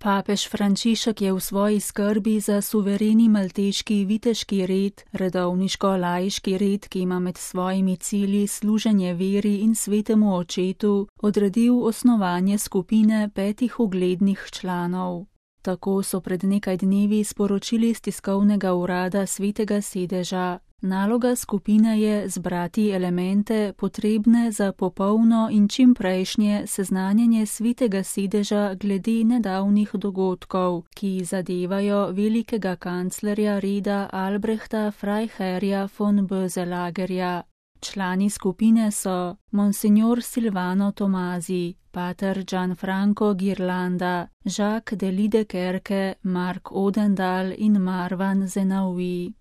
Papež Frančišek je v svoji skrbi za suvereni malteški viteški red, redovniško-laiški red, ki ima med svojimi cilji služenje veri in svetemu očetu, odredil osnovanje skupine 5 uglednih članov. Tako so pred nekaj dnevi sporočili iz tiskovnega urada Svetega sedeža. Naloga skupine je zbrati elemente, potrebne za popolno in čimprejšnje seznanjanje Svetega sedeža glede nedavnih dogodkov, ki zadevajo velikega kanclerja reda Albrehta Freiherja von Böselagerja. Člani skupine so Monsignor Silvano Tomasi, pater Gianfranco Ghirlanda, Jacques de Liedekerke, Mark Odendaal in Marwan Zenawi.